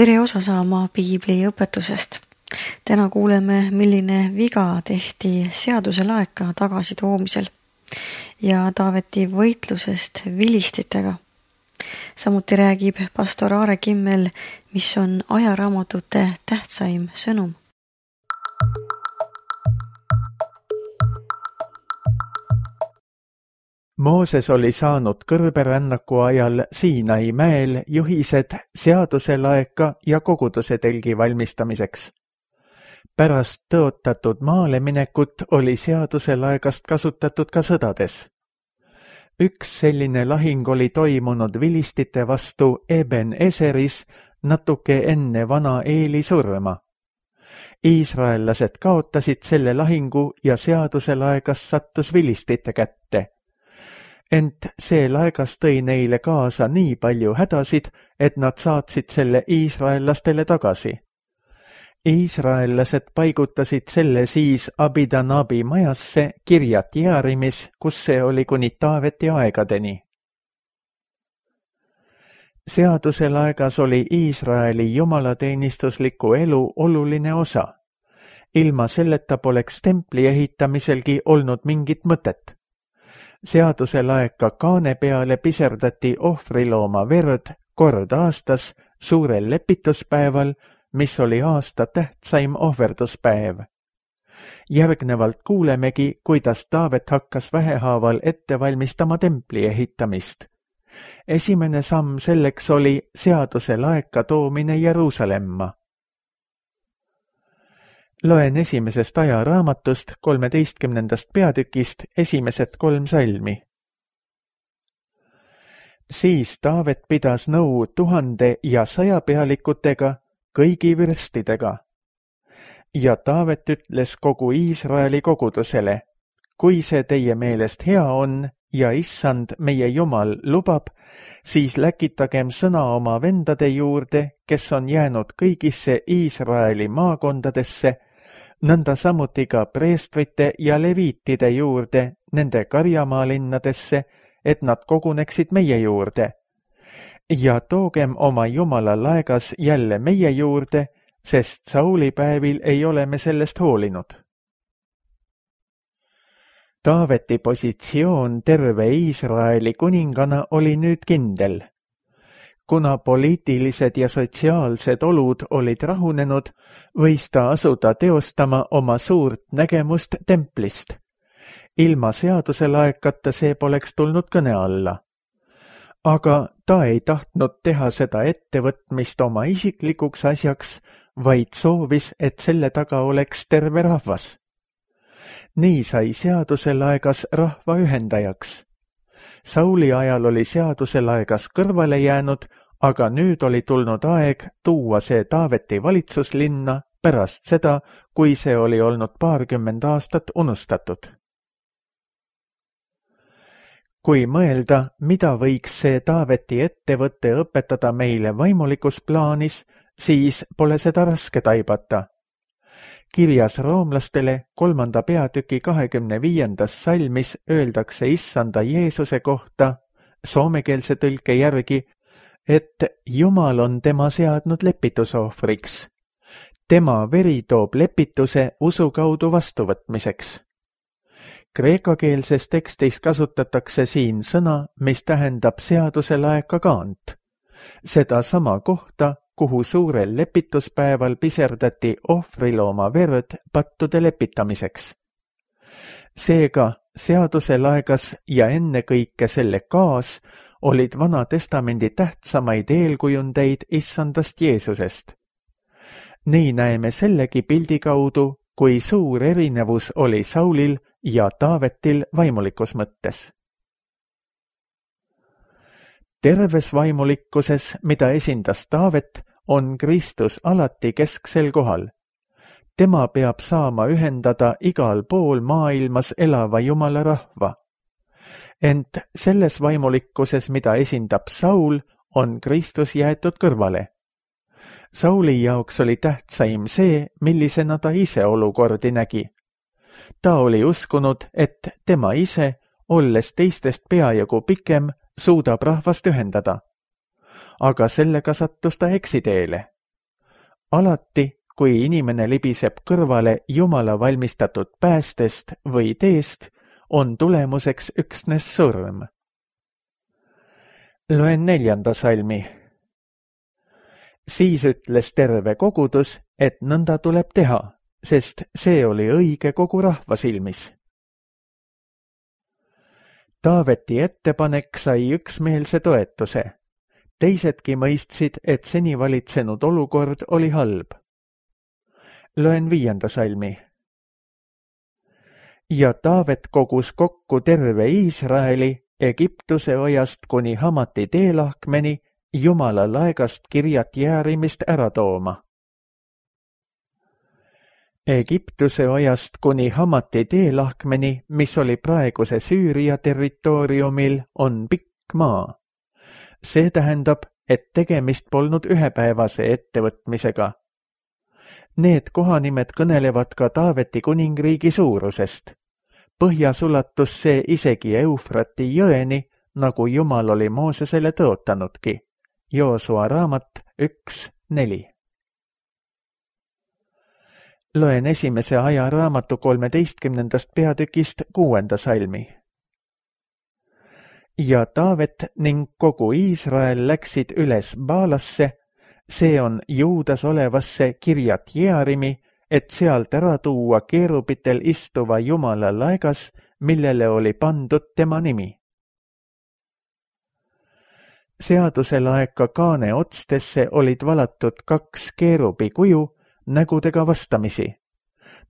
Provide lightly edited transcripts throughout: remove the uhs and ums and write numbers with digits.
Tere osa saama piibli õpetusest. Täna kuuleme, milline viga tehti seaduse laeka tagasitoomisel ja Taaveti võitlusest vilistitega. Samuti räägib pastor Aare Kimmel, mis on ajaraamatute tähtsaim sõnum. Mooses oli saanud kõrberännaku ajal Siinai mäel juhised seaduse laeka ja koguduse telgi valmistamiseks. Pärast tõotatud maale minekut oli seaduse laekast kasutatud ka sõdades. Üks selline lahing oli toimunud vilistite vastu Eben Eseris natuke enne vana Eeli surma. Iisraellased kaotasid selle lahingu ja seaduse laegas sattus vilistite kätte. Ent see laegas tõi neile kaasa nii palju hädasid, et nad saatsid selle iisraellastele tagasi. Iisraellased paigutasid selle siis Abidanabi majasse Kirjat Jearimis, kus see oli kuni Taaveti aegadeni. Seaduse laegas oli Iisraeli jumalateenistusliku elu oluline osa. Ilma selleta poleks templi ehitamiselgi olnud mingit mõtet. Seaduse laeka kaane peale piserdati ohvrilooma verd kord aastas suurel lepituspäeval, mis oli aasta tähtsaim ohverduspäev. Järgnevalt kuulemegi, kuidas Taavet hakkas vähehaaval ette valmistama templi ehitamist. Esimene samm selleks oli seaduse laeka toomine Jeruusalemma. Loen esimesest ajaraamatust 13. peatükist esimesed 3 salmi. Siis Taavet pidas nõu 1000 ja 100 pealikutega, kõigi vürstidega. Ja Taavet ütles kogu Iisraeli kogudusele, kui see teie meelest hea on ja issand meie Jumal lubab, siis läkitagem sõna oma vendade juurde, kes on jäänud kõigisse Iisraeli maakondadesse, nõnda samuti ka preestrite ja leviitide juurde nende karjamaalinnadesse, et nad koguneksid meie juurde. Ja toogem oma Jumala laegas jälle meie juurde, sest Sauli päevil ei ole me sellest hoolinud. Taaveti positsioon terve Iisraeli kuningana oli nüüd kindel. Kuna poliitilised ja sotsiaalsed olud olid rahunenud, võis ta asuda teostama oma suurt nägemust templist. Ilma seaduse laekata see poleks tulnud kõne alla. Aga ta ei tahtnud teha seda ettevõtmist oma isiklikuks asjaks, vaid soovis, et selle taga oleks terve rahvas. Nii sai seaduse laegas rahva ühendajaks. Sauli ajal oli seaduse laegas kõrvale jäänud, aga nüüd oli tulnud aeg tuua see Taaveti valitsuslinna pärast seda, kui see oli olnud 20 aastat unustatud. Kui mõelda, mida võiks see Taaveti ettevõtte õpetada meile vaimulikus plaanis, siis pole seda raske taibata. Kirjas roomlastele 3. peatüki 25. salmis öeldakse issanda Jeesuse kohta, soomekeelse tõlke järgi, et Jumal on tema seadnud lepitusohvriks. Tema veri toob lepituse usu kaudu vastuvõtmiseks. Kreekakeelses tekstis kasutatakse siin sõna, mis tähendab seaduse laeka kaant. Seda sama kohta, kuhu suurel lepituspäeval piserdati ohvrilooma verd pattude lepitamiseks. Seega seaduse laegas ja ennekõike selle kaas olid Vana Testamendi tähtsamaid eelkujundeid issandast Jeesusest. Nii näeme sellegi pildi kaudu, kui suur erinevus oli Saulil ja Taavetil vaimulikus mõttes. Terves vaimulikkuses, mida esindas Taavet, on Kristus alati kesksel kohal. Tema peab saama ühendada igal pool maailmas elava Jumala rahva. Ent selles vaimulikkuses, mida esindab Saul, on Kristus jäetud kõrvale. Sauli jaoks oli tähtsaim see, millisena ta ise olukordi nägi. Ta oli uskunud, et tema ise, olles teistest peajagu pikem, suudab rahvast ühendada. Aga sellega sattus ta eksiteele. Alati, kui inimene libiseb kõrvale Jumala valmistatud päästest või teest, on tulemuseks üksnes surm. Loen 4. salmi. Siis ütles terve kogudus, et nõnda tuleb teha, sest see oli õige kogu rahva silmis. Taaveti ettepanek sai üksmeelse toetuse. Teisedki mõistsid, et seni valitsenud olukord oli halb. Loen 5. salmi. Ja Taavet kogus kokku terve Iisraeli Egiptuse ojast kuni Hamati teelahkmeni Jumala laegast Kirjat Jearimist ära tooma. Egiptuse ojast kuni Hamati teelahkmeni, mis oli praeguse Süüria territooriumil, on pikk maa. See tähendab, et tegemist polnud ühepäevase ettevõtmisega. Need kohanimed kõnelevad ka Taaveti kuningriigi suurusest. Põhjas ulatus see isegi Eufrati jõeni, nagu Jumal oli Moosesele tõotanudki. Joosua raamat 1:4. Loen 1. ajaraamatu 13. peatükist 6. salmi. Ja Taavet ning kogu Iisrael läksid üles Baalasse, see on Juudas olevasse Kirjat Jearimi, et sealt ära tuua keerubitel istuva Jumala laegas, millele oli pandud tema nimi. Seaduselaeka kaane otstesse olid valatud 2 keerubi kuju, nägudega vastamisi.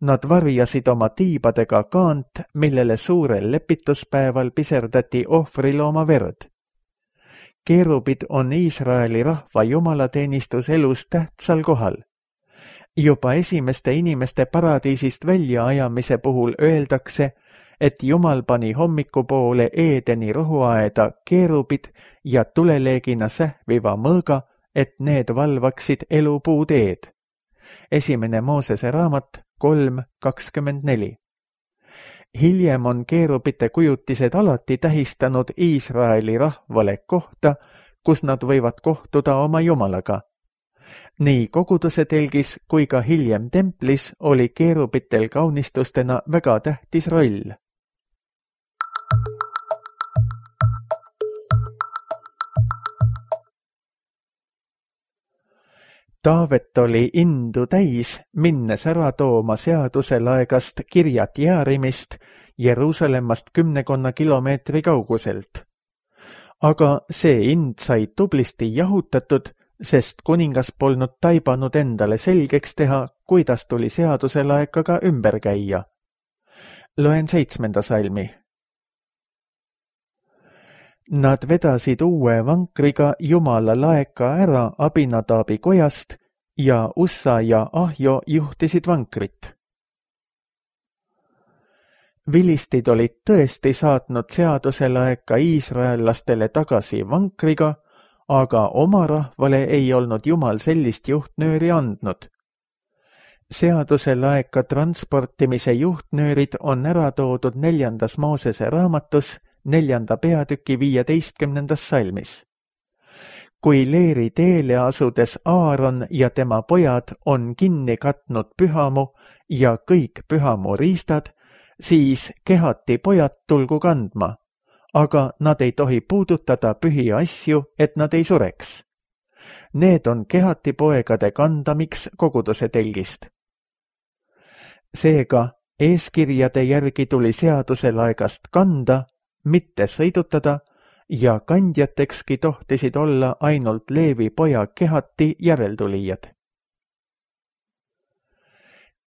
Nad varjasid oma tiibadega kaant, millele suurel lepituspäeval piserdati ohvrilooma verd. Keerubid on Iisraeli rahva jumalateenistuselus tähtsal kohal. Juba esimeste inimeste paradiisist väljaajamise puhul öeldakse, et Jumal pani hommikupoole Eedeni rohuaeda keerubid ja tuleleegina sähviva mõõga, et need valvaksid elupuu teed. 1. Moosese raamat 3:24. Hiljem on keerubite kujutised alati tähistanud Iisraeli rahvale kohta, kus nad võivad kohtuda oma Jumalaga. Nii koguduse telgis kui ka hiljem templis oli keerubitel kaunistustena väga tähtis roll. Taavet oli indu täis, minnes ära tooma seaduselaegast Kirjat Jearimist Jeruusalemmast 10 kilomeetri kauguselt. Aga see ind sai tublisti jahutatud, sest kuningas polnud taibanud endale selgeks teha, kuidas tuli seaduselaekaga ümber käia. Loen 7. salmi. Nad vedasid uue vankriga Jumala laeka ära Abinadabi kojast ja Ussa ja Ahjo juhtisid vankrit. Vilistid olid tõesti saatnud seaduselaeka iisraellastele tagasi vankriga, aga oma rahvale ei olnud Jumal sellist juhtnööri andnud. Seaduselaeka transportimise juhtnöörid on ära toodud 4. Moosese raamatus 4. peatüki 15. salmis. Kui leeri teele asudes Aaron ja tema pojad on kinni katnud pühamu ja kõik pühamu riistad, siis kehati pojad tulgu kandma, aga nad ei tohi puudutada pühi asju, et nad ei sureks. Need on kehati poegade kandamiks koguduse telgist. Seega eeskirjade järgi tuli seaduselaegast kanda, mitte sõidutada, ja kandjatekski tohtisid olla ainult Leevi poja kehati järeltulijad.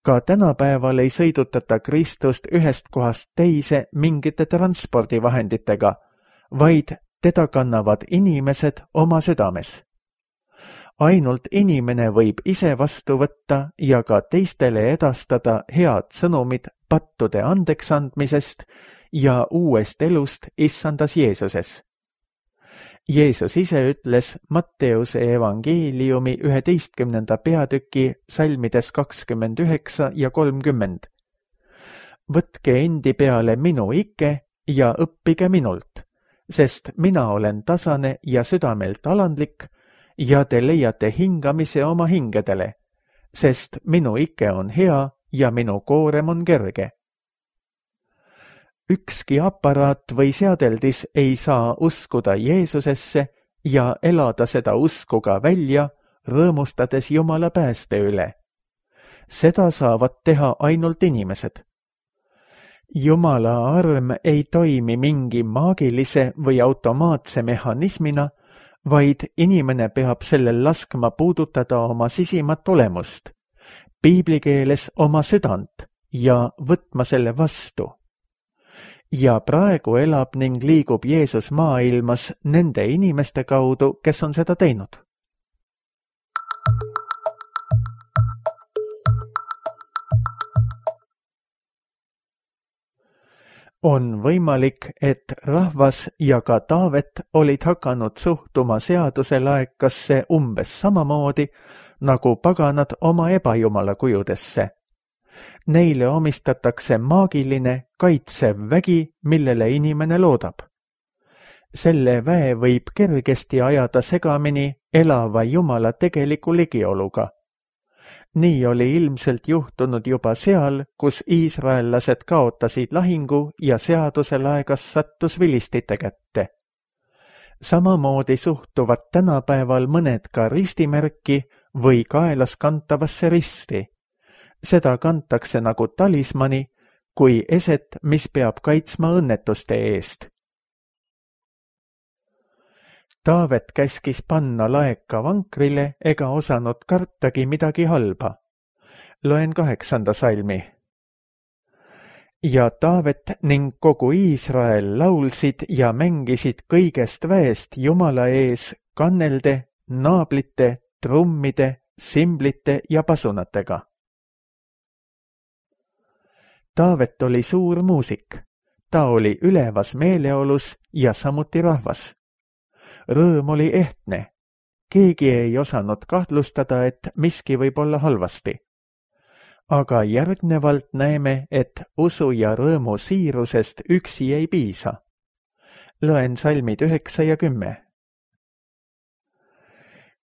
Ka tänapäeval ei sõidutata Kristust ühest kohast teise mingite transpordivahenditega, vaid teda kannavad inimesed oma südames. Ainult inimene võib ise vastu võtta ja ka teistele edastada head sõnumid pattude andeksandmisest ja uuest elust issandas Jeesuses. Jeesus ise ütles Matteuse evangeeliumi 11. peatüki salmides 29 ja 30. Võtke endi peale minu ike ja õppige minult, sest mina olen tasane ja südamelt alandlik ja te leiate hingamise oma hingedele, sest minu ike on hea ja minu koorem on kerge. Ükski aparaat või seadeldis ei saa uskuda Jeesusesse ja elada seda usku ka välja, rõõmustades Jumala pääste üle. Seda saavad teha ainult inimesed. Jumala arm ei toimi mingi maagilise või automaatse mehhanismina, vaid inimene peab sellel laskma puudutada oma sisimat olemust, piiblikeeles oma südant ja võtma selle vastu. Ja praegu elab ning liigub Jeesus maailmas nende inimeste kaudu, kes on seda teinud. On võimalik, et rahvas ja ka Taavet olid hakanud suhtuma seaduse laekasse umbes samamoodi, nagu paganad oma ebajumala kujudesse. Neile omistatakse maagiline, kaitsev vägi, millele inimene loodab. Selle väe võib kergesti ajada segamini elava Jumala tegeliku ligioluga. Nii oli ilmselt juhtunud juba seal, kus iisraellased kaotasid lahingu ja seaduse laegas sattus vilistite kätte. Samamoodi suhtuvad tänapäeval mõned ka ristimärki või kaelas kantavasse risti. Seda kantakse nagu talismani, kui eset, mis peab kaitsma õnnetuste eest. Taavet käskis panna laeka vankrile ega osanud kartagi midagi halba. Loen 8. salmi. Ja Taavet ning kogu Iisrael laulsid ja mängisid kõigest väest Jumala ees kannelde, naablite, trummide, simblite ja pasunatega. Taavet oli suur muusik. Ta oli ülevas meeleolus ja samuti rahvas. Rõõm oli ehtne. Keegi ei osanud kahtlustada, et miski võib olla halvasti. Aga järgnevalt näeme, et usu ja rõõmu siirusest üksi ei piisa. Loen salmid 9 ja 10.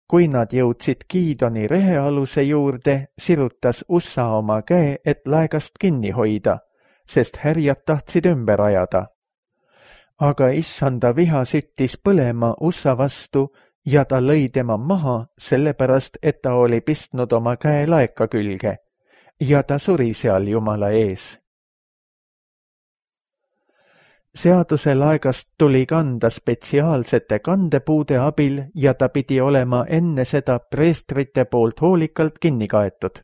Kui nad jõudsid Giidoni rehealuse juurde, sirutas Ussa oma käe, et laegast kinni hoida, sest härjad tahtsid ümber ajada. Aga issanda viha süttis põlema Ussa vastu ja ta lõi tema maha, sellepärast, et ta oli pistnud oma käe laeka külge ja ta suri seal Jumala ees. Seaduse laegast tuli kanda spetsiaalsete kandepuude abil ja ta pidi olema enne seda preestrite poolt hoolikalt kinni kaetud.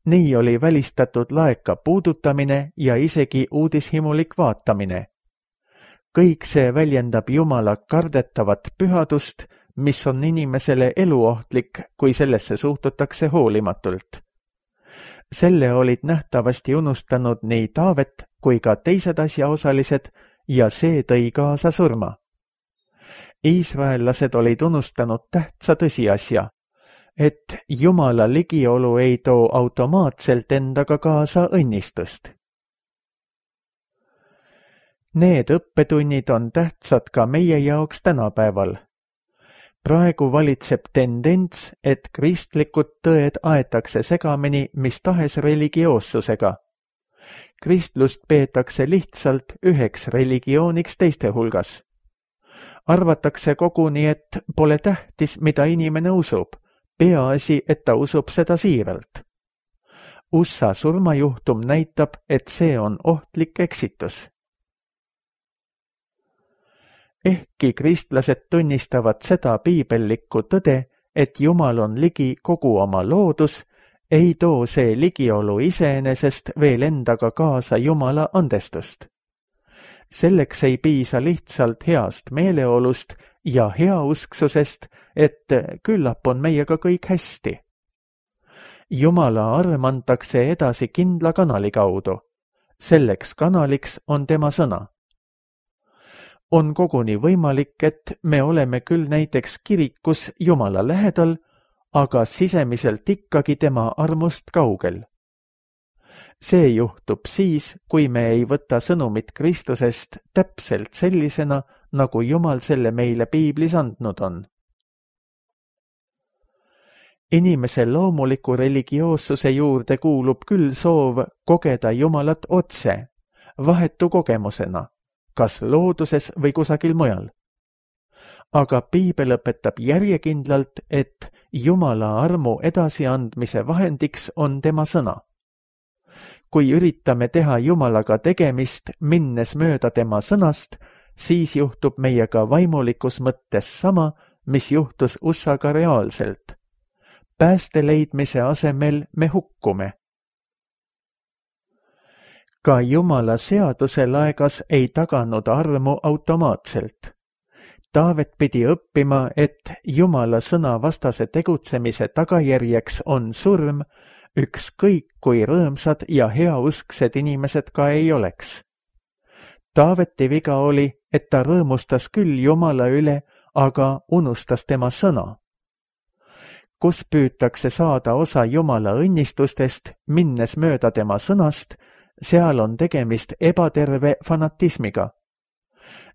Nii oli välistatud laeka puudutamine ja isegi uudishimulik vaatamine. Kõik see väljendab Jumala kardetavat pühadust, mis on inimesele eluohtlik, kui sellesse suhtutakse hoolimatult. Selle olid nähtavasti unustanud nii Taavet kui ka teised asjaosalised ja see tõi kaasa surma. Iisraellased olid unustanud tähtsa tõsiasja, et Jumala ligiolu ei too automaatselt endaga kaasa õnnistust. Need õppetunnid on tähtsad ka meie jaoks tänapäeval. Praegu valitseb tendents, et kristlikud tõed aetakse segamini mis tahes religioossusega. Kristlust peetakse lihtsalt üheks religiooniks teiste hulgas. Arvatakse koguni, et pole tähtis, mida inimene usub, peaasi, et ta usub seda siiralt. USA surmajuhtum näitab, et see on ohtlik eksitus. Ehkki kristlased tunnistavad seda piibellikku tõde, et Jumal on ligi kogu oma loodus, ei too see ligiolu iseenesest veel endaga kaasa Jumala andestust. Selleks ei piisa lihtsalt heast meeleolust ja heausksusest, et küllap on meiega kõik hästi. Jumala arm antakse edasi kindla kanali kaudu. Selleks kanaliks on tema sõna. On koguni võimalik, et me oleme küll näiteks kirikus Jumala lähedal, aga sisemiselt ikkagi tema armust kaugel. See juhtub siis, kui me ei võta sõnumit Kristusest täpselt sellisena, nagu Jumal selle meile piiblis andnud on. Inimese loomuliku religioossuse juurde kuulub küll soov kogeda Jumalat otse, vahetu kogemusena, kas looduses või kusagil mujal. Aga piibel õpetab järjekindlalt, et Jumala armu edasiandmise vahendiks on tema sõna. Kui üritame teha Jumalaga tegemist, minnes mööda tema sõnast, siis juhtub meiega vaimulikus mõttes sama, mis juhtus Ussaga reaalselt. Pääste leidmise asemel me hukkume. Ka Jumala seaduse laegas ei taganud armu automaatselt. Taavet pidi õppima, et Jumala sõna vastase tegutsemise tagajärjeks on surm, ükskõik kui rõõmsad ja heausksed inimesed ka ei oleks. Taaveti viga oli, et ta rõõmustas küll Jumala üle, aga unustas tema sõna. Kus püütakse saada osa Jumala õnnistustest, minnes mööda tema sõnast, seal on tegemist ebaterve fanatismiga.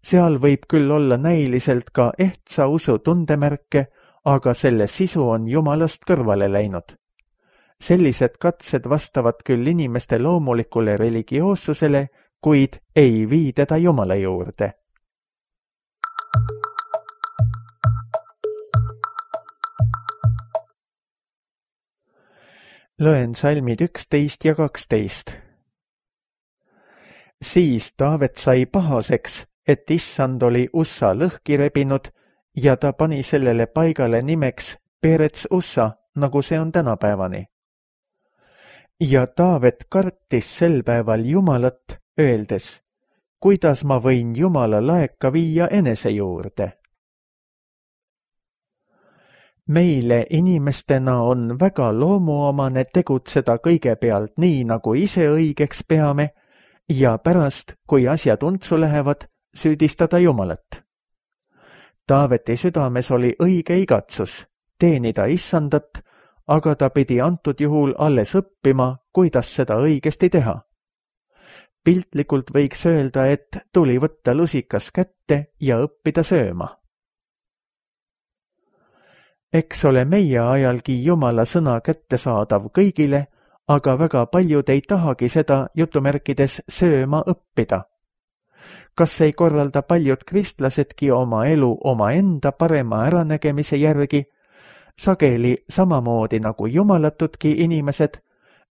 Seal võib küll olla näiliselt ka ehtsa usu tundemärke, aga selle sisu on Jumalast kõrvale läinud. Sellised katsed vastavad küll inimeste loomulikule religioossusele, kuid ei vii teda Jumala juurde. Loen salmid 11 ja 12. Siis Taavet sai pahaseks, et issand oli Ussa lõhki rebinud ja ta pani sellele paigale nimeks Perets Ussa, nagu see on tänapäevani. Ja Taavet kartis sel päeval Jumalat, öeldes, kuidas ma võin Jumala laeka viia enese juurde. Meile inimestena on väga loomuomane tegutseda kõigepealt nii, nagu ise õigeks peame, ja pärast, kui asjad untsu lähevad, süüdistada Jumalat. Taaveti südames oli õige igatsus, teenida issandat, aga ta pidi antud juhul alles õppima, kuidas seda õigesti teha. Piltlikult võiks öelda, et tuli võtta lusikas kätte ja õppida sööma. Eks ole meie ajalgi Jumala sõna kättesaadav kõigile, aga väga paljud ei tahagi seda jutumärkides sööma õppida. Kas ei korralda paljud kristlasedki oma elu omaenda parema äranägemise järgi, sageli samamoodi nagu jumalatudki inimesed,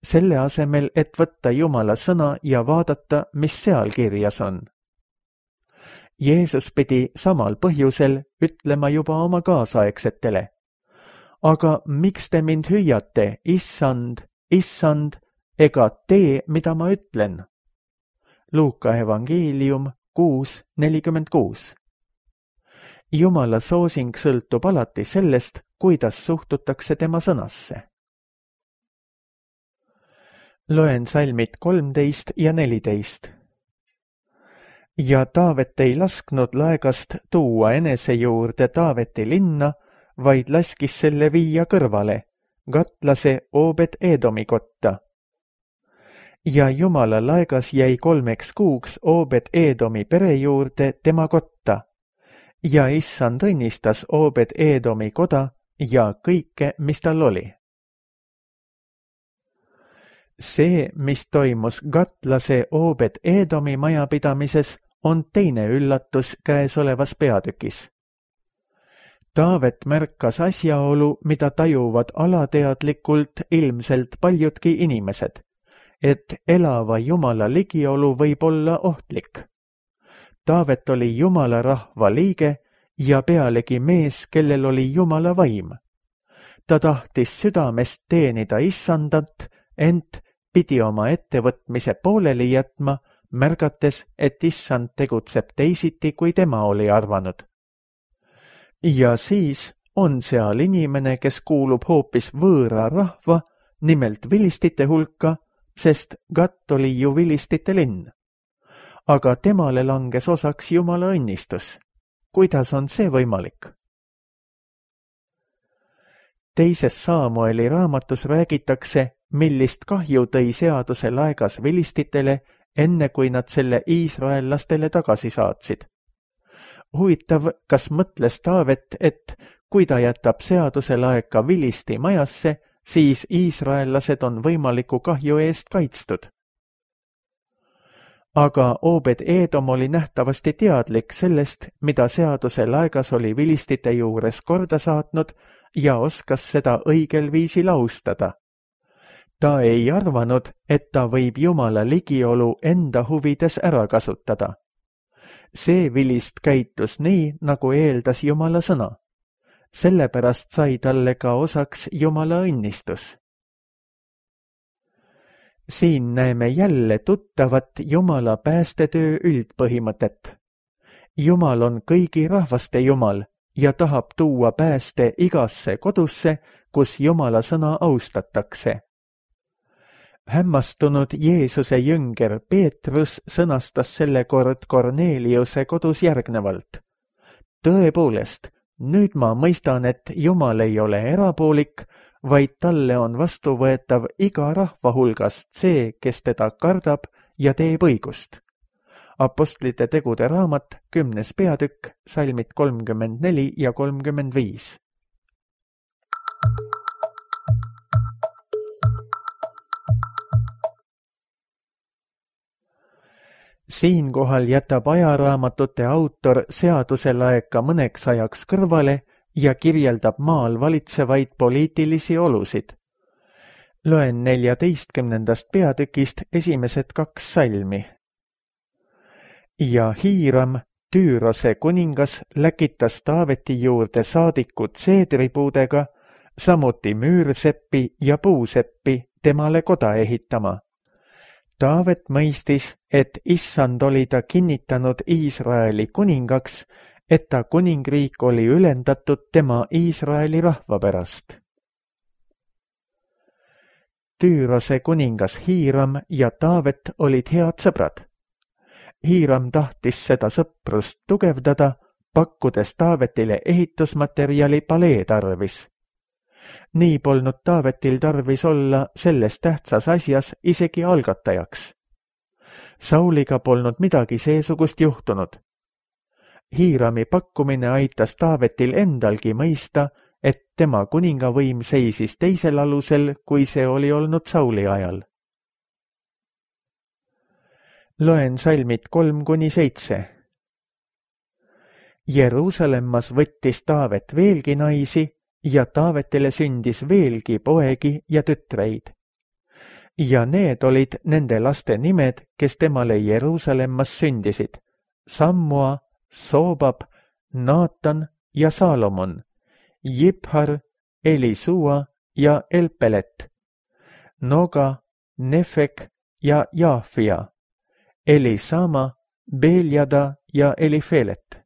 selle asemel, et võtta Jumala sõna ja vaadata, mis seal kirjas on. Jeesus pidi samal põhjusel ütlema juba oma kaasaegsetele. Aga miks te mind hüüate, issand, issand, ega tee, mida ma ütlen? Luuka evangeelium 6:46. Jumala soosing sõltub alati sellest, kuidas suhtutakse tema sõnasse. Loen salmid 13 ja 14. Ja Taavet ei lasknud laegast tuua enese juurde Taaveti linna, vaid laskis selle viia kõrvale, Gatlase Obed-Edomi kotta. Ja Jumala laegas jäi 3 kuuks Obed-Edomi pere juurde tema kotta, ja issand õnnistas Obed-Edomi koda ja kõike, mis tal oli. See, mis toimus Gatlase Obed-Edomi majapidamises, on teine üllatus käesolevas peatükis. Taavet märkas asjaolu, mida tajuvad alateadlikult ilmselt paljudki inimesed, et elava Jumala ligiolu võib olla ohtlik. Taavet oli Jumala rahva liige ja pealegi mees, kellel oli Jumala vaim. Ta tahtis südamest teenida issandat, ent pidi oma ettevõtmise pooleli jätma, märgates, et issand tegutseb teisiti, kui tema oli arvanud. Ja siis on seal inimene, kes kuulub hoopis võõra rahva, nimelt vilistite hulka, sest Gat oli ju vilistite linn. Aga temale langes osaks Jumala õnnistus. Kuidas on see võimalik? Teises Saamueli raamatus räägitakse, millist kahju tõi seaduse laegas vilistitele, enne kui nad selle iisraellastele tagasi saatsid. Huvitav, kas mõtles Taavet, et kui ta jätab seaduse laeka Vilisti majasse, siis iisraellased on võimaliku kahju eest kaitstud. Aga Obed-Edom oli nähtavasti teadlik sellest, mida seaduse laegas oli vilistite juures korda saatnud ja oskas seda õigel viisil austada. Ta ei arvanud, et ta võib Jumala ligiolu enda huvides ära kasutada. See vilist käitus nii, nagu eeldas Jumala sõna. Sellepärast sai talle ka osaks Jumala õnnistus. Siin näeme jälle tuttavat Jumala päästetöö üldpõhimõtet. Jumal on kõigi rahvaste Jumal ja tahab tuua pääste igasse kodusse, kus Jumala sõna austatakse. Hämmastunud Jeesuse jünger Peetrus sõnastas selle kord Korneliuse kodus järgnevalt. Tõepoolest, nüüd ma mõistan, et Jumal ei ole erapoolik, vaid talle on vastuvõetav iga rahva hulgast see, kes teda kardab ja teeb õigust. Apostlite tegude raamat, 10. peatükk, salmid 34 ja 35. Siinkohal jätab ajaraamatute autor seaduse laeka mõneks ajaks kõrvale ja kirjeldab maal valitsevaid poliitilisi olusid. Loen 14. peatükist esimesed 2 salmi. Ja Hiiram, Tüürose kuningas, läkitas Taaveti juurde saadikud seedripuudega, samuti müürseppi ja puuseppi temale koda ehitama. Taavet mõistis, et Issand oli ta kinnitanud Iisraeli kuningaks, et ta kuningriik oli ülendatud tema Iisraeli rahva pärast. Tüürose kuningas Hiiram ja Taavet olid head sõbrad. Hiiram tahtis seda sõprust tugevdada, pakkudes Taavetile ehitusmaterjali palee tarvis. Nii polnud Taavetil tarvis olla selles tähtsas asjas isegi algatajaks. Sauliga polnud midagi seesugust juhtunud. Hiirami pakkumine aitas Taavetil endalgi mõista, et tema kuningavõim seisis teisel alusel, kui see oli olnud Sauli ajal. Loen salmid 3-7. Jeruusalemmas võttis Taavet veelgi naisi ja Taavetile sündis veelgi poegi ja tütreid. Ja need olid nende laste nimed, kes temale Jeruusalemmas sündisid: Sammua, Soobab, Naatan ja Saalomon, Jibhar, Elisua ja Elpelet, Noga, Nefek ja Jaafia, Elisama, Beljada ja Elifelet.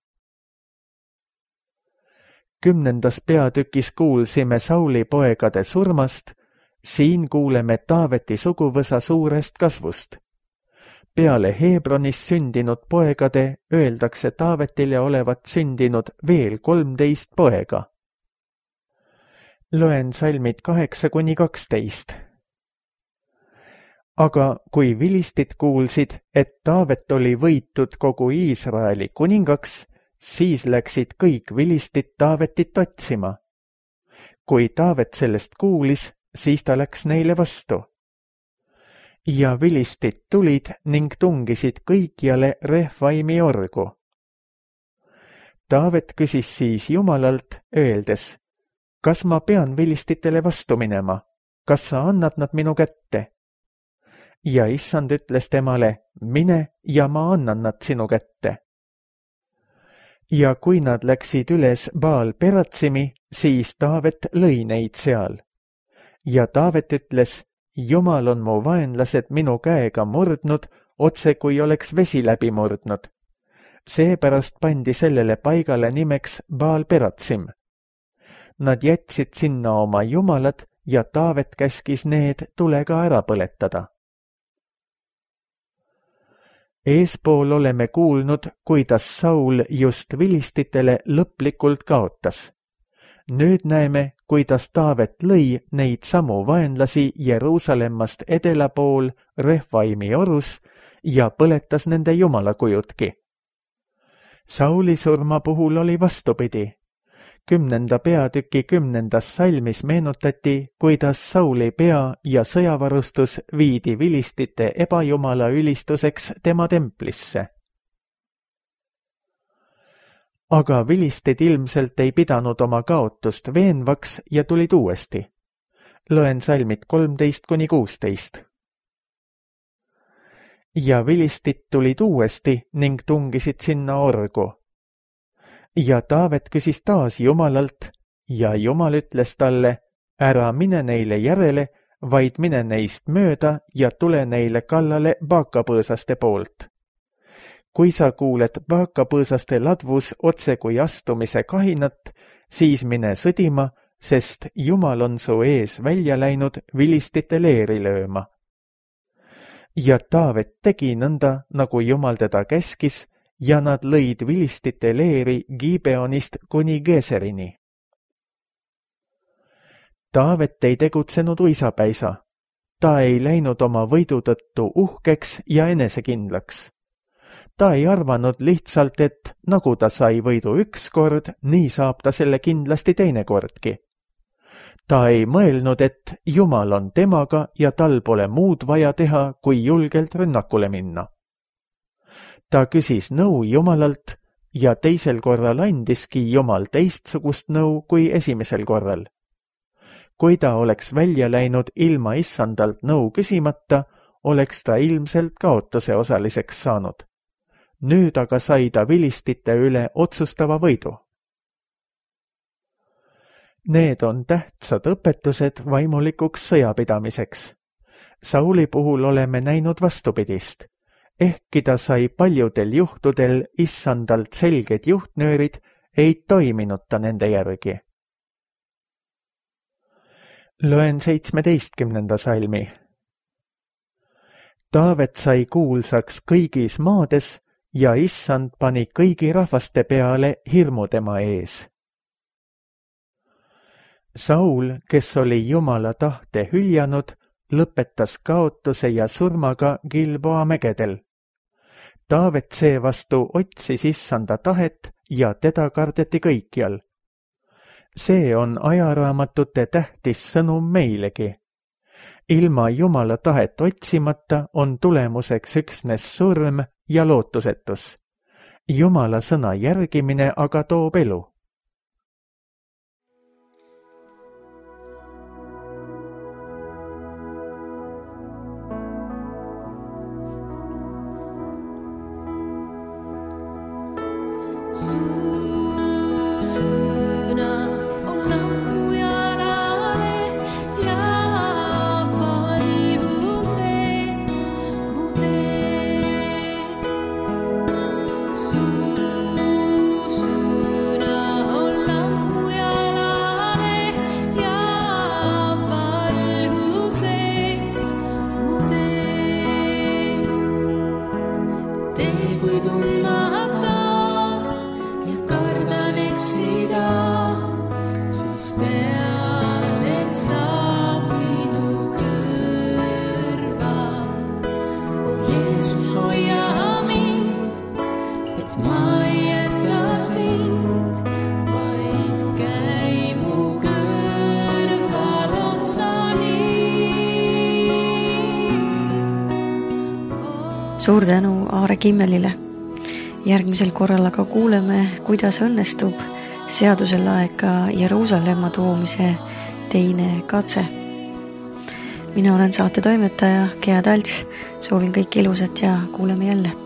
10. peatükis kuulsime Sauli poegade surmast, siin kuuleme Taaveti suguvõsa suurest kasvust. Peale Hebronis sündinud poegade öeldakse Taavetile olevat sündinud veel 13 poega. Loen salmid 8-12. Aga kui vilistid kuulsid, et Taavet oli võitud kogu Iisraeli kuningaks, siis läksid kõik vilistid Taavetit otsima. Kui Taavet sellest kuulis, siis ta läks neile vastu. Ja vilistid tulid ning tungisid kõikjale Refaimi orgu. Taavet küsis siis Jumalalt, öeldes: kas ma pean vilistitele vastu minema? Kas sa annad nad minu kätte? Ja Issand ütles temale: mine ja ma annan nad sinu kätte. Ja kui nad läksid üles Baal-Peratsimi, siis Taavet lõi neid seal. Ja Taavet ütles: Jumal on mu vaenlased minu käega murdnud, otse kui oleks vesi läbi murdnud. Seepärast pandi sellele paigale nimeks Baal-Peratsim. Nad jätsid sinna oma jumalad ja Taavet käskis need tulega ära põletada. Eespool oleme kuulnud, kuidas Saul just vilistitele lõplikult kaotas. Nüüd näeme, kuidas Taavet lõi neid samu vaenlasi Jeruusalemmast edela pool Refaimi orus ja põletas nende jumalakujudki. Sauli surma puhul oli vastupidi. 10. peatüki 10. salmis meenutati, kuidas Sauli pea ja sõjavarustus viidi vilistite ebajumala ülistuseks tema templisse. Aga vilistid ilmselt ei pidanud oma kaotust veenvaks ja tulid uuesti. Loen salmid 13-16. Ja vilistid tulid uuesti ning tungisid sinna orgu. Ja Taavet küsis taas Jumalalt ja Jumal ütles talle, ära mine neile järele, vaid mine neist mööda ja tule neile kallale baakapõõsaste poolt. Kui sa kuuled baakapõõsaste ladvus otse kui astumise kahinat, siis mine sõdima, sest Jumal on su ees välja läinud vilistite leeri lööma. Ja Taavet tegi nõnda, nagu Jumal teda käskis, ja nad lõid vilistite leeri Gibeonist kuni Geserini. Taavet ei tegutsenud uisapäisa. Ta ei läinud oma võidu tõttu uhkeks ja enesekindlaks. Ta ei arvanud lihtsalt, et nagu ta sai võidu üks kord, nii saab ta selle kindlasti teine kordki. Ta ei mõelnud, et Jumal on temaga ja tal pole muud vaja teha, kui julgelt rünnakule minna. Ta küsis nõu Jumalalt ja teisel korral andiski Jumal teistsugust nõu kui esimesel korral. Kui ta oleks välja läinud ilma issandalt nõu küsimata, oleks ta ilmselt kaotuse osaliseks saanud. Nüüd aga sai ta vilistite üle otsustava võidu. Need on tähtsad õpetused vaimulikuks sõjapidamiseks. Sauli puhul oleme näinud vastupidist. Ehkki ta sai paljudel juhtudel issandalt selged juhtnöörid, ei toiminud ta nende järgi. Loen 17. salmi. Taavet sai kuulsaks kõigis maades ja issand pani kõigi rahvaste peale hirmu tema ees. Saul, kes oli Jumala tahte hüljanud, lõpetas kaotuse ja surmaga Gilboa mägedel. Taavet seevastu otsis issanda tahet ja teda kardeti kõikjal. See on ajaraamatute tähtis sõnum meilegi. Ilma Jumala tahet otsimata on tulemuseks üksnes surm ja lootusetus. Jumala sõna järgimine aga toob elu. Suur tänu Aare Kimmelile. Järgmisel korral aga kuuleme, kuidas õnnestub seaduselaeka Jeruusalemma toomise teine katse. Mina olen saate toimetaja Gea Talts. Soovin kõik ilusat ja kuuleme jälle.